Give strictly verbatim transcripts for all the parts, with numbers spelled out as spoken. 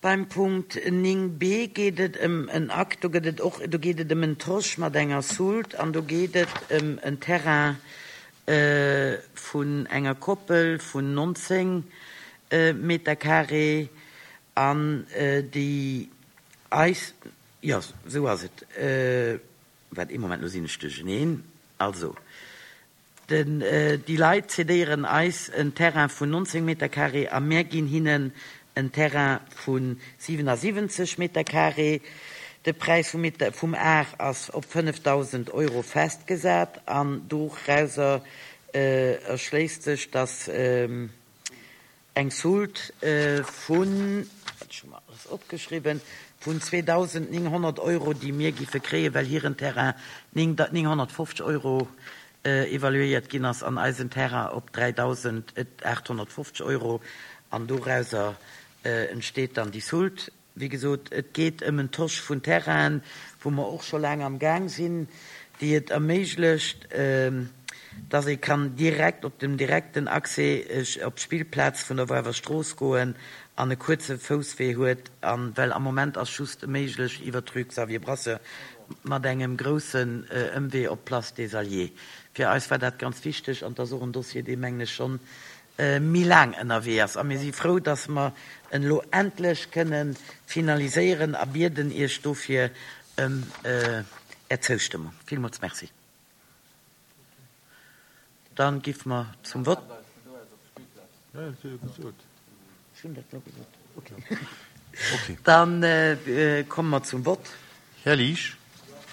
Beim Punkt néng B geet et ëm en Akt, do gëtt et och, do geet et ëm en Tosch mat enger Soult an do geet et ëm en Terrain vun enger Koppel vun nonzéng Meter carré an déi eis, jo, esou ass et, waart ee Moment, lo sinn ech duercheneen, also den, déi Leit cédéieren eis en Terrain vun nonzéng Meter carré a mär ginn hinnen en Terrain vu siwenasiwwenzeg Meter carré. De Präis vum Meter, vum Ar ass op fënnefdausend Euro festgesat an dorauser erschléisst sech, dass eng Soult vun, wat ech hu mer alles opgeschriwwen, vun zweedausendnénghonnert Euro, déi mir giffe kréien, well hiren Terrain nénghonnertfofzeg Euro evaluéiert ginn ass an eisen Terrain op dräidausendachthonnertfofzeg Euro. An dorauser entsteet dann déi Soult. Wéi gesot, et geet ëm en Tosch vun Terrainen, wou mer och scho laang am Gaang sinn, déi et erméiglecht, dass ee kann direkt op dem direkten Accès op d'Spillplaz vun der Woarwer Strooss goen an e kuerze Fousswee huet, an well am Moment ass just méiglech iwwer d'Rue Xavier Brasseur mat engem groussen Ëmwee op d'Place des Alliés. Fir eis war dat ganz wichteg an et ass och en Dossier, dee mengen ech schonn méi laang ënnerwee ass. A mir si frou, dass mer en elo endlech kënne finaliséieren a bieden Iech dofir ëm Är Zoustëmmung. Villmools Merci. Dann gi mer zum Vott. Ech hunn dat elo gesot. Okay. Dann komme mer zum Vott. Här Liesch,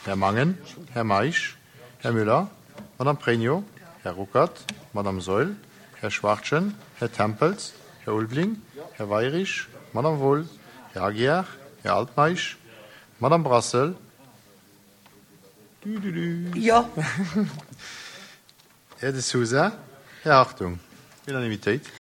Här Mangen, Här Meisch, Här Müller, Madame Pregno, Här Ruckert, Madame Saeul, Här Schwachtgen, Här Tempels, Här Ulveling, Här Weyrich, Madame Wohl, Här Aguiar, Här Altmeisch, Madame Brassel, du, du, du. Jo. Här De Sousa, Här Hartung. Unanimitéit.